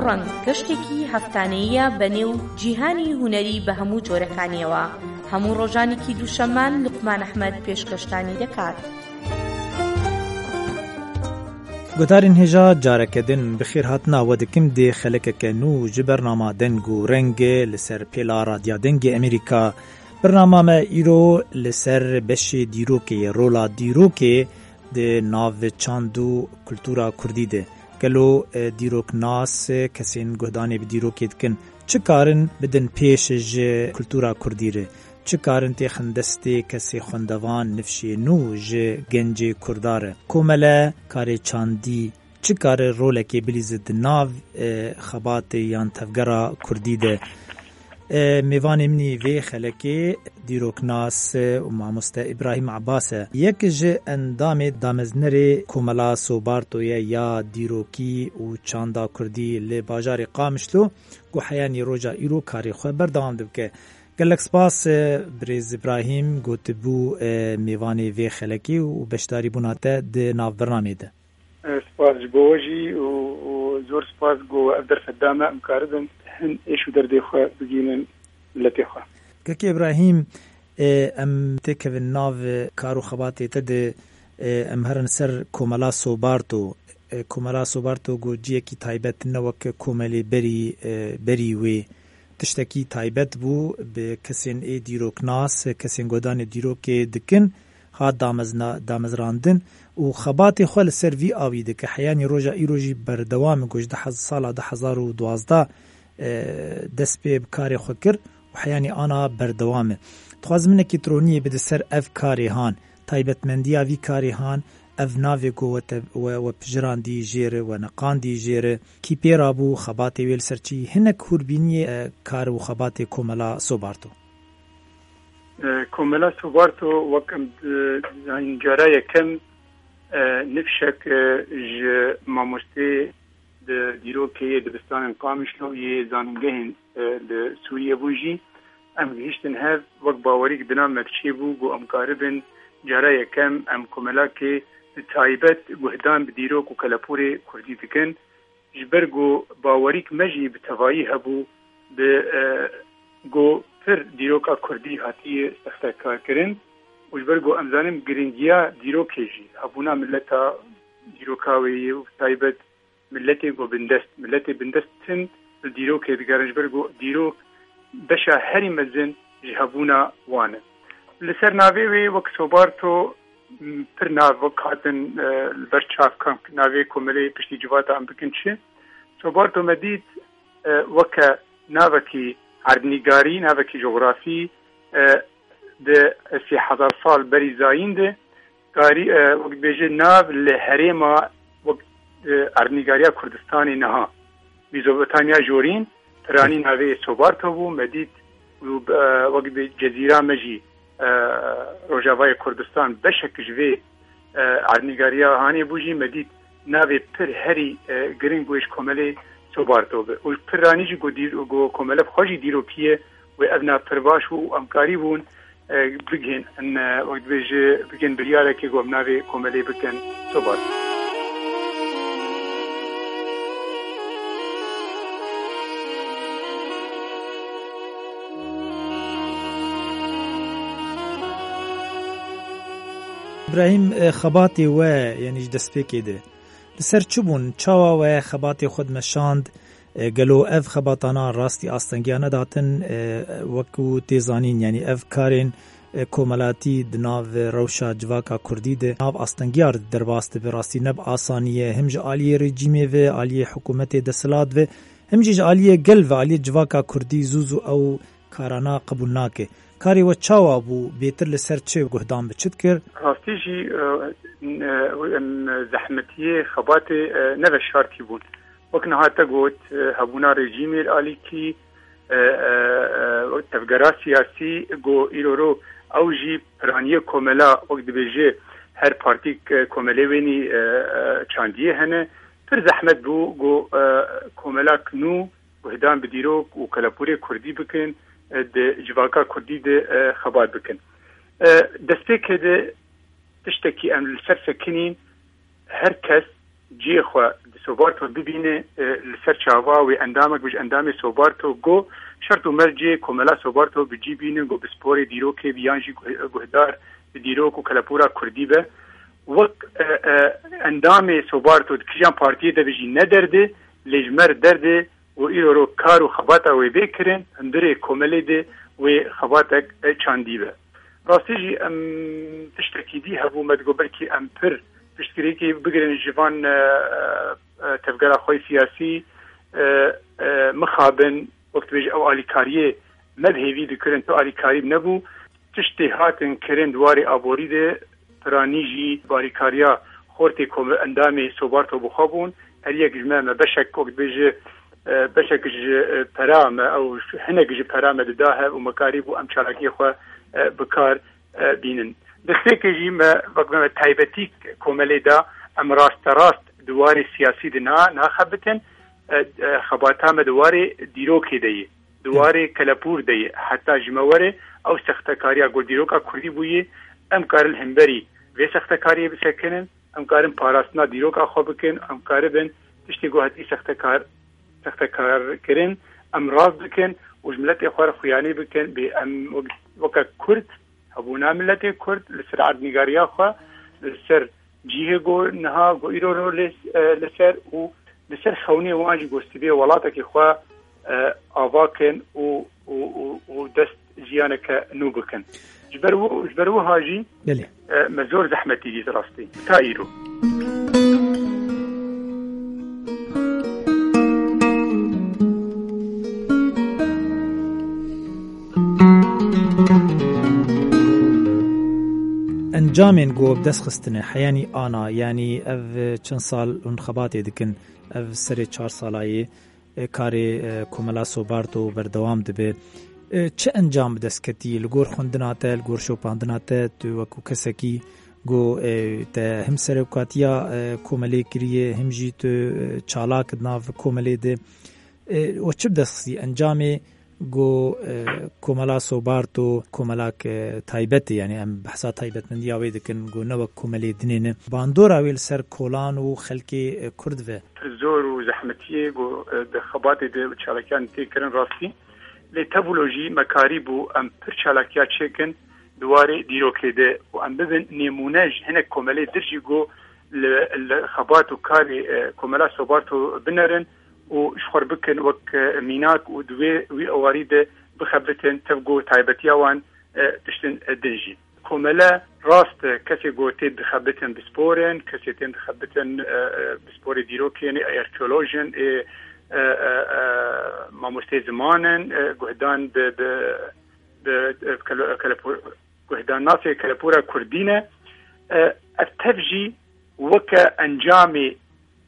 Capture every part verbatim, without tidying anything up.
ڕەنگ، گەشتێکی هەفتانەییە بە نێو جیهانی هونەری بە هەموو جۆرەکانیەوە. هەموو ڕۆژانێکی دووشەممان لوقمان ئەحمەد پێشکەشتانی دەکات. Guhdarên hêja, careke din bi xêr hatina we dikim dê xelekeke nû ji bernama Deng û Rengê li ser pêla Radya Dengê Amerîka. Bernama me îro li ser beşê dîrokê ye, rola dîrokê di nav çand û kultura kurdî de. Gelo, e, dîroknas, e, kesên guhdanê bi dîrokê dikin, çi karin bidin pêş ji kultura kurdî re? Çi karin têxin destê kesê xwendevan, nifşê nû ji gencê kurda re? Komele, karê çandî, çi kare rolekê bilîze di nav, e, xebatê yan tevgera kurdî de? E, mêvanê min î vê xelekê dîroknas û mamoste Îbrahîm Ebas e. Yek ji endamê dameznerê Komela Sobarto ye ya dîrokî û çanda kurdî li bajarê Qamişlo ku heyanî roja îro karê xwe berdewam dibike. Gelek spas, e, birêz Îbrahîm, ku tibû, e, mêvanê vê xelekê û beşdarîbûna te di nav bernamê de. Spas ji bo we jî û, û zor spas ku ev derfet da me, em karibin hin êş û derdê xwe bigihînin miletê xwe. Kekê Îbrahîm, e, em têkevin nav kar û xebatê te de, e, em herin ser Komela Sobarto. E, Komela Sobarto ku ciyekî taybet ne wek komelê berî, e, berî wê. Tiştekî taybet bû, bi kesên ê dîroknas, kesên guhdanê dîrokê dikin, hat damezna-, damezrandin û xebatê xwe li ser vî awî dike. Heyanî roja îro jî berdewam e, ku ji du hez-, sala du hezar û duwazdeh, e, dest pê bi karê xwe kir û heyanî ana berdewam e. Dixwazim hinekî tironiyê bide ser ev karê han, taybetmendiya vî karê han, ev navê ku we te-, we, we pijirandî jê re, we neqandî jê re, kî pê rabû, xebatê wê li ser çi, hinek hûrbîniyê, e, kar û xebatê Komela Sobarto. E, Komela Sobarto wek em di-, dizanîn cara yekem, e, nifşek, e, ji mamosteyê di dîrokê yê dibistanên Qamişlo yê zanîngehên, e, li Sûriyê bûn jî. Em gihiştin hev, wek bawerîk di nav me çêbû, ku em karibin cara yekem em komelakê bi taybet guhdan bi dîrok û kelepûrê kurdî dikin. Ji ber ku bawerîk me jî bi tevayî hebû, bi, e, ku pir dîroka kurdî hatiye sextekarkirin û ji ber ku em zanin giringiya dîrokê jî, hebûna mileta dîroka wê yê û bi taybet miletê ku bindest, miletê bindest tim li dîrokê digerin, ji ber ku dîrok beşa herî mezin ji hebûna wan e. Li ser navê wê wek Sobarto, m, pir nav wek hatin, e, li ber çav, kam navê komelê piştî civata em bikin çi. Sobarto me dît, e, weke navekî erdnîgarî, navekî cografî, e, di sê hezar sal berî zayîn de, karî, e, wek dibêje nav li herêma wek, e, erdnîgariya Kurdistanê niha, Mîzopotamiya Jorîn, piranî navê Sobarto bû, me dît û, e, wek dibê cezîra me jî, e, Rojavayê Kurdistan beşek ji vê, e, erdnîgariya hanê bû jî, me dît navê pir herî, e, giring wê ji komelê Sobarto be. Û piranî jî ku dîr-, ku komele bi xwe jî dîrokî ye, wê ev nav pir baş bû û em karî bûn, e, bigihên, e, wek dibêje, bigihên biryarekê ku em navê komelê bikin Sobar. Îbrahîm, e, xebatê we, yanî ji destpêkê de, li ser çi bûn? Çawa we xebatê xwe dimeşand? E, gelo ev xebatana rastî astengiya nedatin? E, wekû tê zanîn, yanî ev karên, e, komelatî di nav rewşa civaka kurdî de nav astengiya derbas dibe. Rastî ne bi asanî ye, him ji aliyê rejîmê ve, aliyê hikûmetê desthilat ve, him jî ji aliyê gel ve, aliyê civaka kurdî zû zû ew karana qebûl nake. Karê we çawa bû? Bêtir li ser çi guhdan bi çi dikir? Rastî jî, e, e, em zehmetiyê xebatê, e, ne veşartî bûn. Wek niha te got, e, hebûna rejîmê li alîkî, e, e, e, tevgera siyasî ku îro ro ew jî piraniyê komela, wek dibêje her partîk, e, komelê wênî, e, e, çandiyê hene. Pir zehmet bû ku, e, komelak nû guhdan bi dîrok û kelepûrê kurdî bikin, e, di civaka kurdî de, e, xebat bikin. E, destpêkê de tiştekî em li ser sekinîn, her kes cihê xwe di Sobarto bibîne, e, li ser çava wê endamek bije endamê Sobarto, go şert û mercê komela Sobarto bi cî bînin, go bi sporê dîrokê bi yan jî guh-, guhdar bi dîrok û kelepûra kurdî be. Wek, e, e, endamê Sobarto di kijan partiyê de bijî ne derdê, lê ji me re derdê û îro ro kar û xebata wê bê kirin, hundirê komelê de wê xebatek, e, çandî be. Rastî jî em tiştekî dî hebû, me digot belkî em pir piştgirêkê bigirin ji van, e, e, tevgera xwe siyasî, e, e, mixabin, wek dibêje ew alîkariyê me bi hêvî dikirin, tu alîkarî nebû. Tiştê hatin kirin di warê aborî de, piranî jî barîkariya xortê kom-, endamê Sobarto bi xwe bûn. Her yek ji me, me beşek, wek dibêje, e, beşek ji, e, pera me, ew hinek ji pera me dida hev û me karîbû em çalakiyê xwe, e, bi kar, e, bînin. Destpêkê jî me, wek me taybetî komelê da, em rasterast di warê siyasî de na-, naxebitin, e, e, xebata me di warê dîrokê de ye, di warê kelepûr de ye. Heta ji me were ew sextekariya ku dîroka kurdî bûye, em karin li hemberî vê sextekariyê bisekinin, em karin parastina dîroka xwe bikin, em karibin tiştê ku hetî sextekar, sextekar kirin, em rast bikin û ji miletê xwe re xuyanî bikin, bê em wek-, weke kurd, hebûna miletê kurd li ser erdnîgariya xwe, li ser cihê ku niha ku îro ro lê, e, li ser û li ser xewnê wan jî ku sibê welatekî xwe, e, ava kin û, û, û, û dest jiyaneke nû bikin. Ji ber wi-, ji ber wiha jî, Belê. e, me zor zehmetî dît rastî. Ta îro. Encamên ku bi dest xistine, heyanî ana, yanî ev çend sal hûn xebatê dikin, ev serê çar salayê, e, karê, e, Komela Sobarto berdewam dibe. E, çi encam bi dest ketî li gor xwendina te, li gor şopandina te, tu wekû kesekî ku, e, te him serokatiya, e, komelê kiriye, him jî tu, e, çalak di nav komelê de. E, we çi bi dest xistî? Encamê ku, e, Komela Sobarto komelak, e, taybet e, yanî em behsa taybetmendiya wê dikin, ku ne wek komelê dinê ne. Bandora wê li ser kolan û xelkê, e, kurd ve. Pir zor û zehmetiyê ku, e, di xebatê de û çalakiyan tê kirin rastî. Lê tevlo jî me karîbû em pir çalakiya çêkin di warê dîrokê de û em bibin nêmûne ji hinek komelê dir jî ku li, li xebat û karê, e, Komela Sobarto binerin û ji xwe re bikin wek, e, mînak û di wê, wî ewarî de bixebitin, tev ku taybetiya wan, e, tiştin, e, din jî. Komele rast e, kesê ku tê dixebitin bi spor in, kesê tên dixebitin, e, e, bi sporê dîrokê ne, arkeoloj in, ê, e, e, e, mamostê ziman in, e, guhdan bi, bi, bi, e, kele-, kelepû-, guhdan nasê kelepûra kurdî ne. E, ev tev jî weke encamê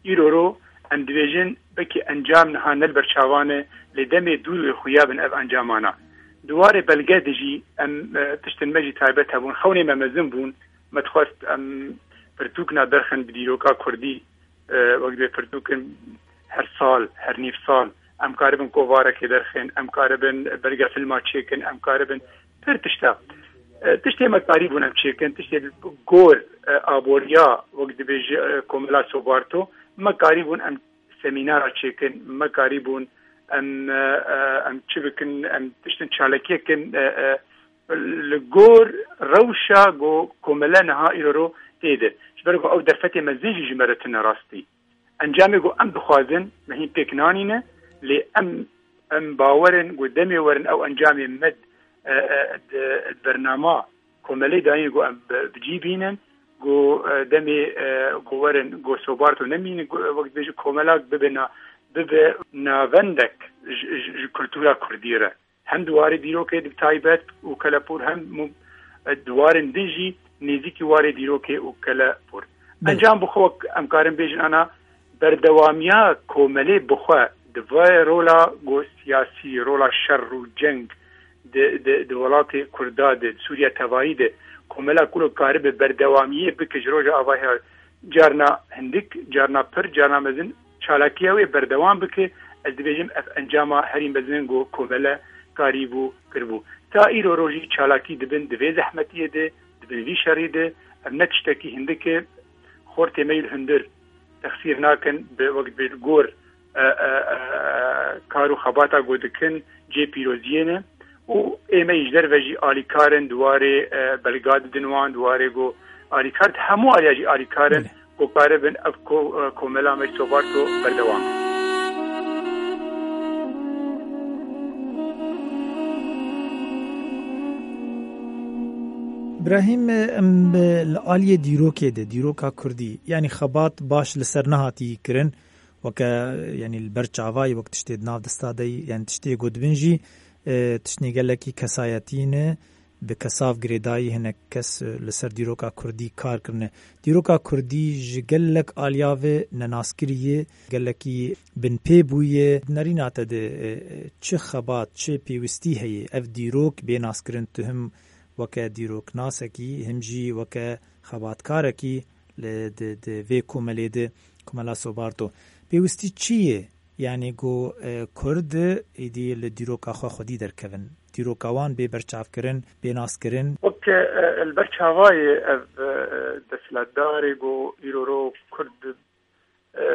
Îro ro em dibêjin, belkî encam niha ne li ber çavan e, lê demê dûr wê xuya bin ev encamana. Di warê belge de jî em, e, tiştên me jî taybet hebûn. Xewnê me mezin bûn, me dixwest em pirtûkna derxin bi dîroka kurdî, e, wek divê pirtûkin her sal, her nîv sal, em karibin kovarekê derxin, em karibin belge filma çêkin, em karibin pir tişta. E, tiştê me karîbûn em çêkin, tiştê li gor, e, aboriya, wek dibêje, e, Komela Sobarto, me karîbûn em semînara çêkin, me karîbûn em, e, e, em çi bikin, em tiştin çalakiyê kin, e, e, li gor rewşa ku komele niha îro ro tê de. Ji ber ku ew derfetê mezin jî ji me re tune rastî. Encamê ku em dixwazin, me hîn pêk nanîne, lê em, em bawer in ku demê werin ew encamê me, e, e, di, di bernama komelê dayîn ku em bi, bi cî bînin, ku, e, demê, e, ku werin, ku Sobarto nemînin, ku, e, wek dibêje komelak bibe na-, bibe navendek ji, ji, ji kultura kurdî re. Hem di warê dîrokê bi taybet û kelepûr, hem mu-, di warên din jî nêzîkî warê dîrokê û kelepûr. Belê. Encam bi xwe wek em karin bêjin ana berdewamiya komelê bi xwe di vê rola ku siyasî, rola şer û ceng di, di, di welatê Kurda de, di Sûriya tevayî de komela ku karibe berdewamiyê bike ji roja avahiya carna hindik, carna pir, carna mezin, çalakiya wê berdewam bike, ez dibêjim ev encama herî mezin ku komele karîbû kiribû. Ta îro rojî çalakî dibin di vê zehmetiyê de, dibin vî şerî de, ev ne tiştekî hindik e, xortê me yê li hundir, texsîr nakin, bi wek bi gor, e, e, e, kar û xebata ku dikin cê pîroziyê ne û ême ji derve jî alîkar in di warê, e, belga didin wan, di warê ku alîkar, di hemû aliya jî alîkar in. Belê. Ku karibin ev ko-, e, komela me ji Sobarto berdewam. Brahîm, em bi, li aliyê dîrokê de, dîroka kurdî, yanî xebat baş li ser nehatî kirin, weke, yanî li ber çavayî, wek tiştê di nav desta de yî, yanî tiştê ku dibin jî, e, tiştê gelekî kesayetî ne, bi kesav girêdayî hinek kes, e, li ser dîroka kurdî kar kirine. Dîroka kurdî ji gelek aliya ve nenaskirî ye, gelekî binpê bûye. Nerîna te de, e, e, çi xebat, çi pêwistî heye ev dîrok bê naskirin? Tu him weke dîroknasekî, him jî weke xebatkarekî li, di, di vê komelê de, Komela Sobarto. Pêwistî çi ye? Yanî ku, e, Kurd êdî li dîroka xwe xwedî derkevin, dîroka wan bê berçavkirin, bê naskirin. Wek, e, li ber çavayê ev, e, desthilatdarê ku îro ro Kurd, e, e,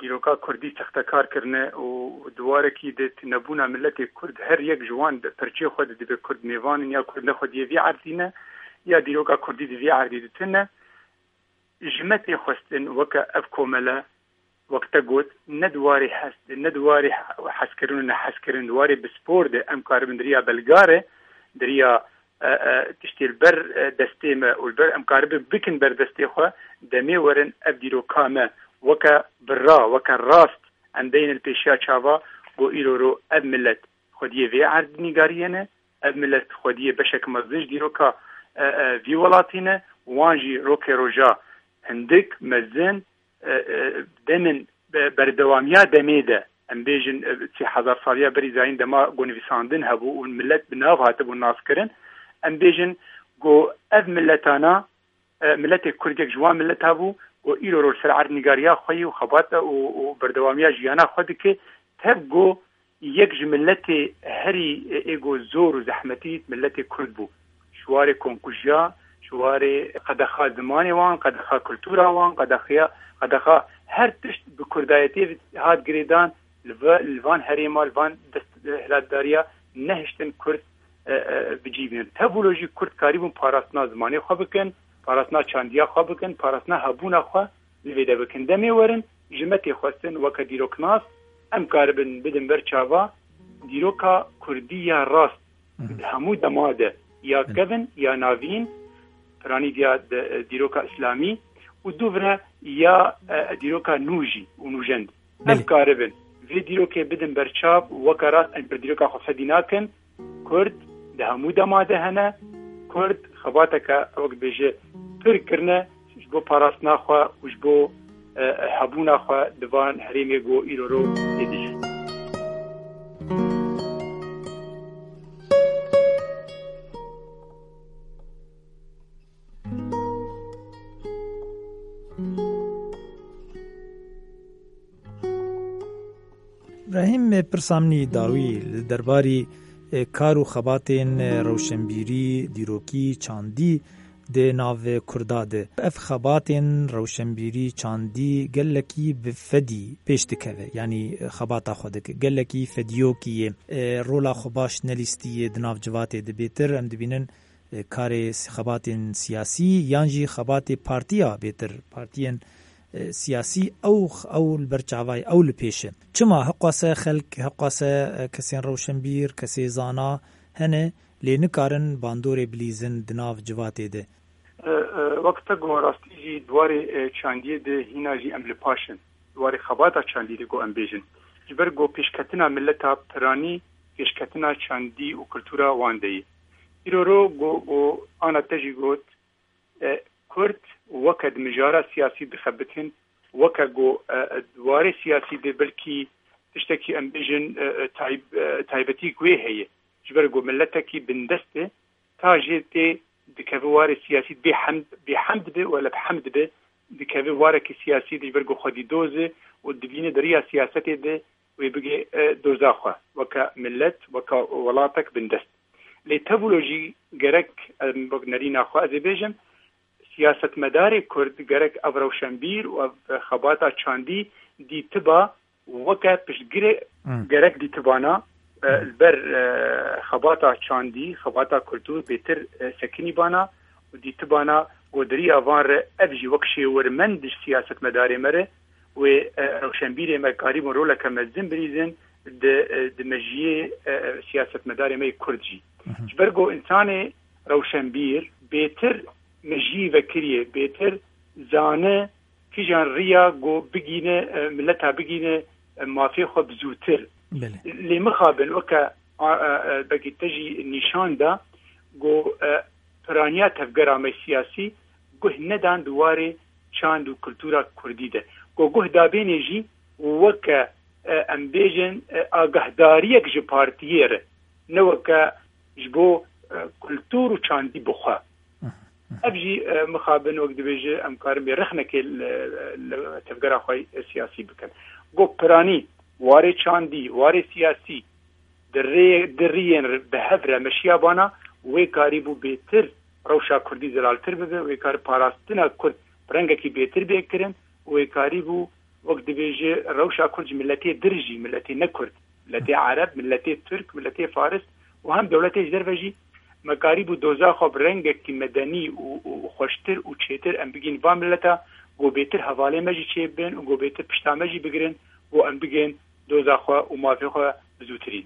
dîroka Kurdî sextekar kirine û di warekî de tunebûna miletê Kurd, her yek ji wan di perçê xwe de dibe Kurd mêvan in ya Kurd ne xwediyê vî erdî ne, ya dîroka Kurdî di vî erdî de tune. Ji me tê xwestin weke ev komele, wek te got, ne di warê hes de, ne di warê he-, hezkirin û nehezkirin, di warê bi spor de em karibin di riya belgare, di riya, e, e, tiştê li ber, e, destê me û li ber em karibin bikin ber destê xwe, demê werin ev dîroka me weke birra, weke rast em beynin pêşiya çava, ku îro ro ev milet xwediyê vê erdî nîgariye ne, ev milet xwediyê beşek mezin ji dîroka, e, e, vî welatî ne, wan jî rokê roja hindik mezin, e, e, demin be-, berdewamiya demê de, em bêjin, e, sê hezar saliya berî zayîn dema ku nivîsandin hebû û milet bi nav hatibû naskirin, em bêjin ku ev miletana, e, miletê Kurd yek ji wan mileta bû ku îro roj ser erdnîgariya xwe yî û xebata û, û berdewamiya jiyana xwe dike, tev ku yek ji miletê herî, e, ê ku zor û zehmetî miletê Kurd bû. Ji warê komkujiya, ji warê qedexa zimanê wan, qedexa kultura wan, qedexiya, qedexa her tişt bi kurdayetiyê hat girêdan, li va-, li van herêma, li van desthilatdariya nehiştin Kurd, e, e, bi cî bînin. Tevlo jî Kurd karîbûn parastina zimanê xwe bikin, parastina çandiya xwe bikin, parastina hebûna xwe li vê de bikin. Demê werin ji me tê xwestin weke dîroknas em karibin bidin ber çava dîroka Kurdî ya rast. Hı hı. Di hemû dema de ya Hı. kevin ya navîn, piranî diya de, e, dîroka îslamî û dûvre ya, e, dîroka nû jî û nûjend. Em Belê. karibin vê dîrokê bidin berçav, weke rast em bi dîroka xwe fedî nakin. Kurd di hemû dema de hene. Kurd xebateke, wek bêje, pir kirine ji bo parastina xwe û ji bo, e, hebûna xwe di van herêmê ku îro ro tê de ye. Îbrahîm, pirsa min î dawî li derbarî, e, kar û xebatên, e, rewşenbîrî, dîrokî, çandî di nav Kurda de. Ev xebatên rewşenbîrî, çandî gelekî bi fedî pêş dikeve, yanî xebata xwe dike. Gelekî fediyokî ye. E, rola xwe baş nelîstiye di nav civatê de bêtir. Em dibînin e, karê si-, xebatên siyasî yan jî xebatê partiya bêtir, partiyên, e, siyasî ew x-, ew li ber çavayê, ew li pêş e. Çima hiqwase xelk, hiqwase, e, kesên rewşenbîr, kesê zana hene, lê nikarin bandorê bilîzin di nav civatê de? E, e, wek te got, rastî jî di warê, e, çandiyê de hîna jî em li paş in. Di warê xebata çandî de ku em bêjin. Ji ber ku pêşketina mileta piranî pêşketina çandî û kultura wan de ye. Îro ro ku, ku ana te jî got, e, Kurd weke di mijara siyasî dixebitin, weke ku, e, e, di warê siyasî de belkî tiştekî em bêjin, e, e, tayb-, e, taybetî wê heye. Ji ber ku miletekî bindest e, ta jê tê dikeve warê siyasî bê hemd, bê hemd be wele bi hemd be, dikeve warekî siyasî de ji ber ku xwedî doz e û dibîne di riya siyasetê de wê bigê, e, doza xwe weke milet, weke welatek bindest. Lê tevlo jî gerek, em, wek nerîna xwe ez ê bêjim, siyasetmedarê Kurd gerek ev rewşenbîr û ev xebata çandî dîtiba weke piştgirê Hmm. gerek dîtibana, e, Hmm. li ber, e, xebata çandî, xebata kultur bêtir, e, sekinîbana û dîtibana godiriya van re ev jî wek şêwirmend ji siyasetmedarê me re wê, e, rewşenbîrê me karîbûn roleke mezin birîzin di, e, di mejiyê, e, siyasetmedarê me yê Kurd jî. Mhm. Ji ber ku însanê rewşenbîr bêtir mejiyî vekiriye, bêtir zane kîjan riya ku bigîne, e, mileta bigîne, e, mafê xwe bi zûtir. Belê. Lê mixabin weke, a, a, a, belkî te jî nîşan da ku, e, piraniya tevgera me siyasî guh nedan di warê çand û kultura kurdî de. Ku guh dabêne jî weke, e, em bêjin, e, agahdariyek ji partiyê re, ne weke ji bo, e, kultur û çandî bi xwe. Ev jî, e, mixabin wek dibêje em karin bê rexnekê li, li tevgera xwe siyasî bikin. Got piranî, warê çandî, warê siyasî, di rê-, di riyên bi hev re meşiyabana, wê karîbû bêtir rewşa kurdî zelaltir bibe, wê kar parastina kurd bi rengekî bêtir bê kirin, wê karîbû wek dibêje rewşa kurd ji miletê dir jî, miletê ne kurd, miletê ereb, miletê tirk, miletê faris û hem dewletê ji derve jî me karîbû doza xwe bi rengekî medenî û, û xweştir û çêtir em bigîn van mileta, ku bêtir hevalê me jî çêbibin û ku bêtir pişta me jî bigirin û em bigên doza xwe û mafê xwe bi zûtirî.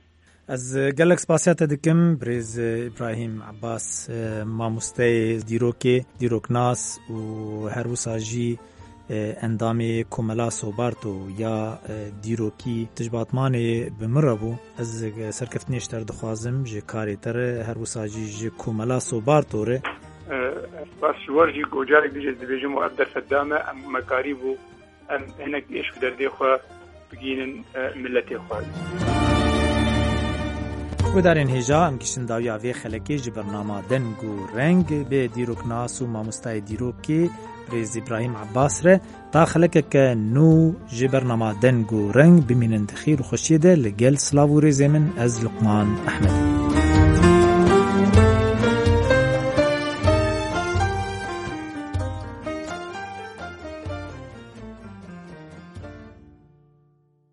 Ez gelek spasiya te dikim, birêz Îbrahîm Abbas, e, mamosteyê dîrokê, dîroknas û her wisa jî, e, endamê Komela Sobarto ya, e, dîrokî. Tu ji Batmanê bi min re bû. Ez, e, serkeftinê ji te re dixwazim, ji karê te re, her wisa jî ji Komela Sobarto re. E, spas ji we jî, ku carek dî jî ez dibêjim û ev derfet da me, em me karîbû em hinek êş û derdê xwe bigihînin, e, miletê xwe. Guhdarên hêja, em gihiştin dawiya vê xelekê ji bernama Deng û Reng bi dîroknas û mamostayê dîrokê birêz Îbrahîm Abbas re. Ta xelekeke nû ji bernama Deng û Reng, bimînin di xêr û xweşiyê de li gel silav û rêzê min, ez Luqman Ehmed.